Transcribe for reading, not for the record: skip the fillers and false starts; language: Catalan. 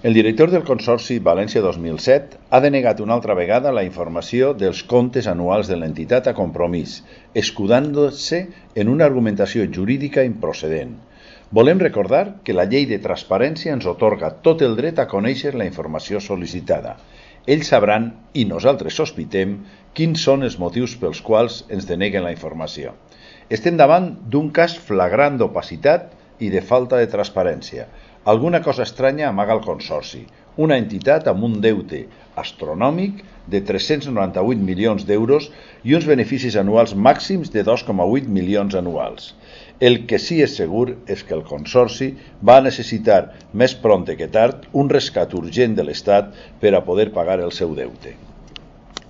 El director del Consorci València 2007 ha denegat una altra vegada la informació dels comptes anuals de l'entitat a Compromís, escudant-se en una argumentació jurídica improcedent. Volem recordar que la llei de transparència ens atorga tot el dret a conèixer la informació sol·licitada. Ells sabran, i nosaltres sospitem, quins són els motius pels quals ens deneguen la informació. Estem davant d'un cas flagrant d'opacitat i de falta de transparència. Alguna cosa estranya amaga el Consorci, una entitat amb un deute astronòmic de 398 milions d'euros i uns beneficis anuals màxims de 2,8 milions anuals. El que sí és segur és que el Consorci va necessitar més prompte que tard un rescat urgent de l'Estat per a poder pagar el seu deute.